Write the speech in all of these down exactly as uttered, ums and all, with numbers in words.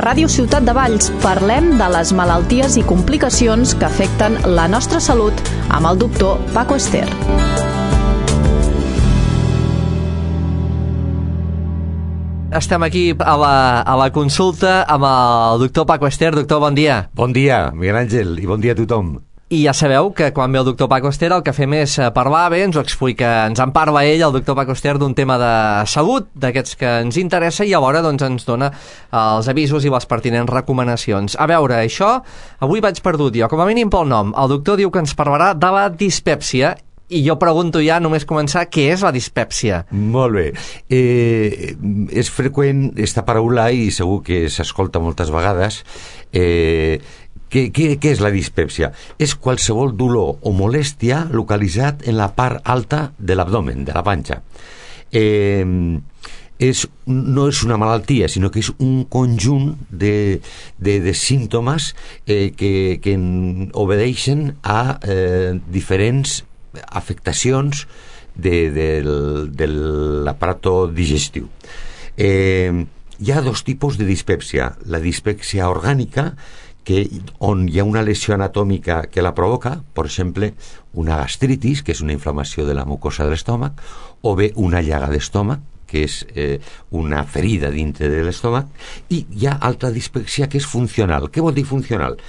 Ràdio Ciutat de Valls parlem de les malalties i complicacions que afecten la nostra salut amb el doctor Paco Ester. Estem aquí a la, a la consulta amb el doctor Paco Ester. Doctor, bon dia. Bon dia, Miguel Àngel, i bon dia a tothom. I ja sabeu que quan ve el doctor Paco Ester el que fem és parlar bé, ens ho explica, ens en parla ell, el doctor Paco Ester, d'un tema de salut, d'aquests que ens interessa, i alhora doncs, ens dona els avisos i les pertinents recomanacions. A veure, això, avui vaig perdut jo, com a mínim pel nom. El doctor diu que ens parlarà de la dispèpsia, i jo pregunto ja, només començar, què és la dispèpsia? Molt bé. Eh, és freqüent esta paraula i segur que s'escolta moltes vegades. Eh, què, què, què és la dispèpsia? És qualsevol dolor o molèstia localitzat en la part alta de l'abdomen, de la panxa. Eh, és, no és una malaltia, sinó que és un conjunt de, de, de símptomes eh, que, que obedeixen a eh, diferents afectacions de, de, de l'aparato digestiu. Eh, hi ha dos tipus de dispèpsia. La dispèpsia orgànica, que, on hi ha una lesió anatòmica que la provoca, per exemple, una gastritis, que és una inflamació de la mucosa de l'estómac, o bé una llaga d'estómac, que és eh, una ferida dintre de l'estómac, i hi ha altra dispèpsia que és funcional. Què vol dir funcional?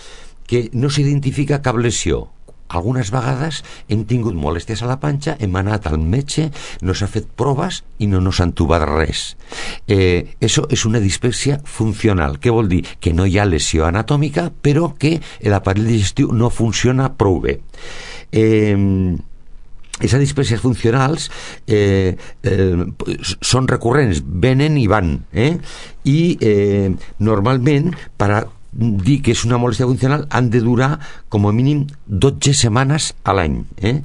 Que no s'identifica cap lesió. Algunes vegades hem tingut molèsties a la panxa, hem anat al metge, no s'ha fet proves i no nos han trobat res. Eh, això és una dispèpsia funcional. Què vol dir? Que no hi ha lesió anatòmica, però que l'aparell digestiu no funciona prou bé. Eh, Aquestes dispèpsies funcionals eh, eh, són recurrents, venen i van, eh? I eh, normalment, per a dir que és una molèstia funcional, han de durar com a mínim dotze setmanes a l'any. Eh?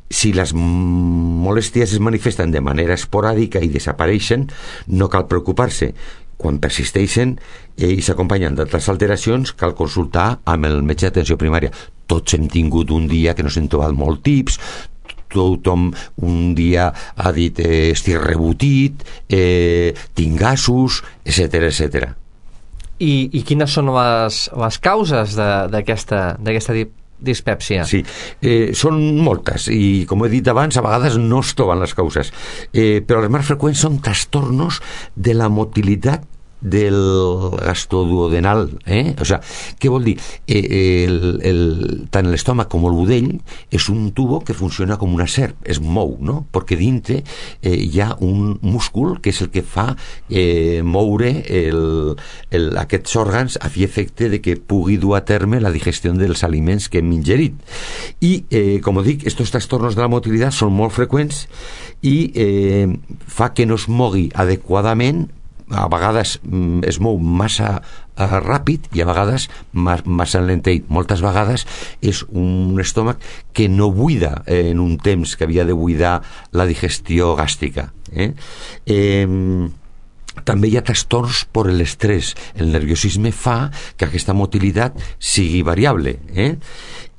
Si les molèsties es manifesten de manera esporàdica i desapareixen, no cal preocupar-se. Quan persisteixen eh, i s'acompanyen d'altres alteracions, cal consultar amb el metge d'atenció primària. Tots hem tingut un dia que no s'hem trobat molt tips, tothom un dia ha dit eh, estic rebotit, eh, tinc gasos, etcètera, etcètera. I, i quines són les, les causes d'aquesta dispèpsia? Sí, eh, són moltes i, com he dit abans, a vegades no es troben les causes, eh, però les més freqüents són trastornos de la motilitat del gastroduodenal, eh? O sea, què vol dir? Eh, el, el, tant l'estómac com el budell és un tubo que funciona com una serp, es mou, no? Perquè dintre eh, hi ha un múscul que és el que fa eh, moure el, el, aquests òrgans a fi efecte de que pugui dur a terme la digestió dels aliments que hem ingerit. I, eh, com dic, estos trastornos de la motilitat són molt freqüents i eh, fa que no es mogui adequadament. A vegades mm, es mou massa uh, ràpid i a vegades ma- massa lenteit. Moltes vegades és un estómac que no buida eh, en un temps que havia de buidar la digestió gàstrica. Eh? Eh, també hi ha trastorns per l'estrès. El nerviosisme fa que aquesta motilitat sigui variable. Eh?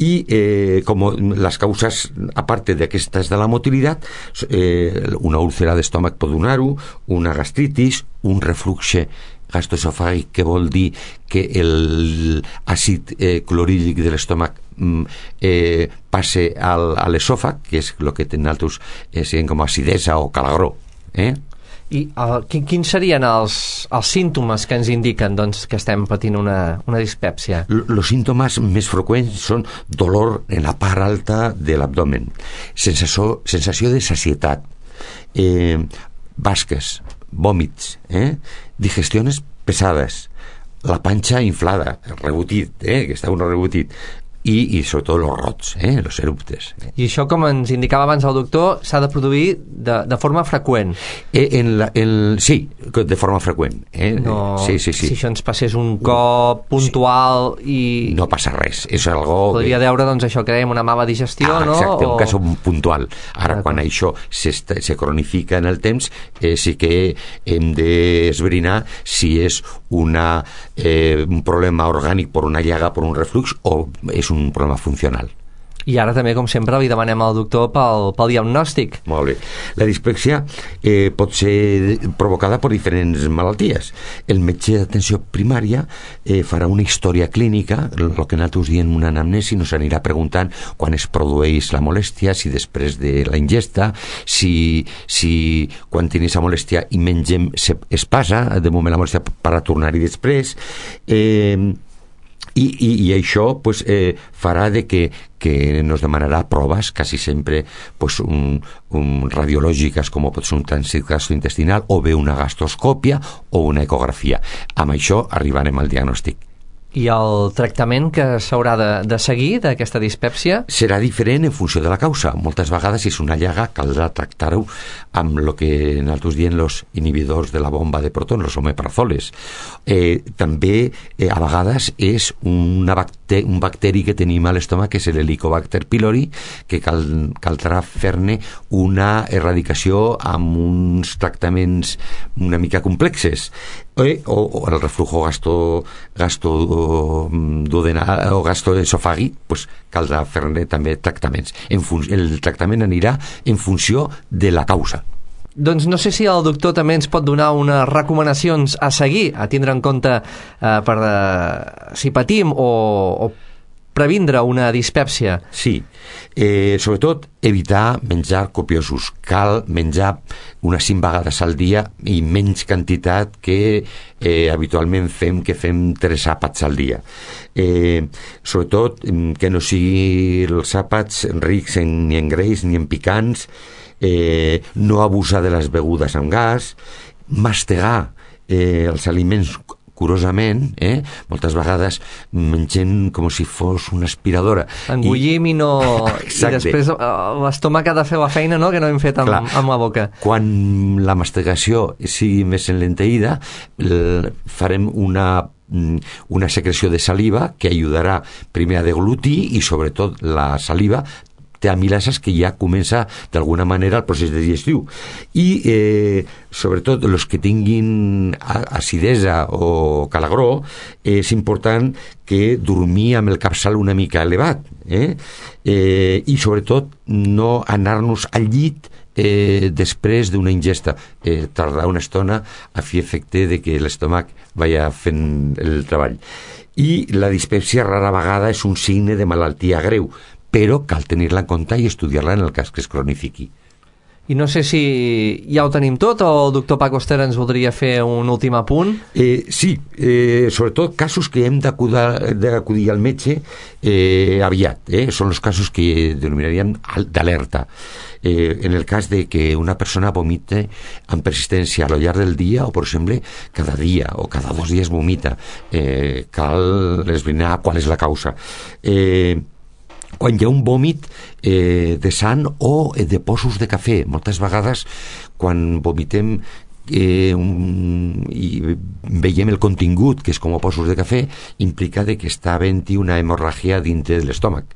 I eh, com les causes, a part d'aquestes de la motilitat, eh, una úlcera d'estómac pot donar-ho, una gastritis, un refluxe gastroesofàgic, que vol dir que l'àcid eh, clorhídric de l'estómac eh, passe al, a l'esòfag, que és el que tenen altres eh, com acidesa o calagró. Eh? I uh, quin, quins serien els, els símptomes que ens indiquen doncs, que estem patint una, una dispèpsia? Els símptomes més freqüents són dolor en la part alta de l'abdomen, sensació, sensació de sacietat, eh, basques, vòmits, eh, digestions pesades, la panxa inflada, rebotit, eh, que està un rebotit, i, i sobretot els rots, eh, els eruptes. I això, com ens indicava abans el doctor, s'ha de produir de, de forma freqüent. Eh, en la, en, sí, de forma freqüent. Eh? No, sí, sí, sí. Si això ens passés un cop puntual i... No passa res. És algo podria que... deure, doncs, això que dèiem, una mala digestió, ah, no? Exacte, o... un cas puntual. Ara, quan això se cronifica en el temps, eh, sí que hem d'esbrinar si és una, eh, un problema orgànic per una llaga, per un reflux, o és un problema funcional. I ara també, com sempre, li demanem al doctor pel, pel diagnòstic. Molt bé. La dispèpsia eh, pot ser provocada per diferents malalties. El metge d'atenció primària eh, farà una història clínica, el que nosaltres diem una anamnesi, nos anirà preguntant quan es produeix la molèstia, si després de la ingesta, si, si quan tenim aquesta molèstia i mengem se, es passa, de moment la molèstia per a tornar-hi després, eh, I, i, i això pues, eh, farà de que, que nos demanarà proves quasi sempre pues, un, un radiològiques com pot ser un trànsit gastrointestinal o bé una gastroscòpia o una ecografia. Amb això arribarem al diagnòstic. I el tractament que s'haurà de, de seguir d'aquesta dispèpsia? Serà diferent en funció de la causa. Moltes vegades, si és una llaga, caldrà tractar-ho amb el que nosaltres diem els inhibidors de la bomba de protons, els omeprazoles. Eh, també, eh, a vegades, és una bacteri, un bacteri que tenim a l'estómac, que és l'Helicobacter pylori, que cal, caldrà fer-ne una erradicació amb uns tractaments una mica complexes. Eh, o, o el reflujo gasto, gasto duodenal o gastroesofàgic, pues, caldrà fer-ne també tractaments. En fun- el tractament anirà en funció de la causa. Doncs no sé si el doctor també ens pot donar unes recomanacions a seguir, a tindre en compte eh, per eh, si patim o, o previndre una dispèpsia. Sí, eh, sobretot evitar menjar copiosos. Cal menjar unes cinc vegades al dia i menys quantitat que eh, habitualment fem, que fem tres àpats al dia. Eh, sobretot que no sigui els àpats rics en, ni en greix ni en picants, eh, no abusar de les begudes amb gas, mastegar eh, els aliments curosament, eh? Moltes vegades mengem com si fos una aspiradora. Engullim i, i no... I després l'estómac ha de fer la feina, no?, que no hem fet amb, Clar, amb la boca. Quan la mastigació sigui més enlenteïda, farem una una secreció de saliva que ajudarà primer a deglutir i sobretot la saliva té amilases que ja comença d'alguna manera el procés digestiu i eh, sobretot els que tinguin acidesa o calagró és important que dormir amb el capçal una mica elevat eh? Eh, i sobretot no anar-nos al llit eh, després d'una ingesta, eh, tardar una estona a fer efecte de que l'estómac vaya fent el treball. I la dispèpsia rara vegada és un signe de malaltia greu, però cal tenir-la en compte i estudiar-la en el cas que es cronifiqui. I no sé si ja ho tenim tot o el doctor Paco Ester ens voldria fer un últim apunt. Eh, sí, eh, sobretot casos que hem d'acudir al metge eh, aviat. Eh? Són els casos que denominaríem d'alerta. Eh, en el cas de que una persona vomite amb persistència a lo llarg del dia o, per exemple, cada dia o cada dos dies vomita, eh, cal esbrinar qual és la causa. Eh, quan hi ha un vòmit eh, de sang o de possos de cafè. Moltes vegades quan vomitem eh, un, i veiem el contingut, que és com a possos de cafè, implica de que està havent-hi una hemorràgia dintre de l'estómac.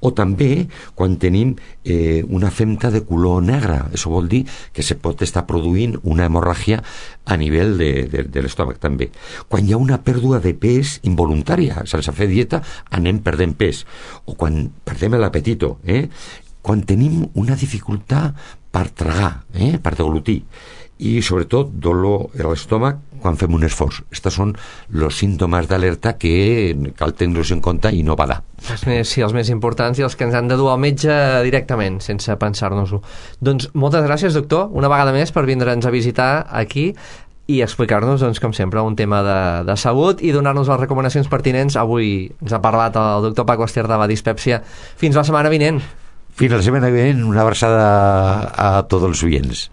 O també quan tenim eh, una femta de color negre. Això vol dir que se pot estar produint una hemorràgia a nivell de, de, de l'estómac també. Quan hi ha una pèrdua de pes involuntària, sense fer dieta, anem perdent pes. O quan perdem l'apetito, eh? Quan tenim una dificultat per tragar, eh? Per deglutir, i sobretot dolor a l'estómac quan fem un esforç. Estos són els símptomes d'alerta que cal tenir-los en compte i no badar. Els més, sí, els més importants i els que ens han de dur al metge directament, sense pensar-nos-ho. Doncs moltes gràcies, doctor, una vegada més per vindre'ns a visitar aquí i explicar-nos, doncs, com sempre, un tema de, de salut i donar-nos les recomanacions pertinents. Avui ens ha parlat el doctor Paco Ester de la dispèpsia. Fins la setmana vinent. Fins la setmana vinent, una abraçada a tots els oients.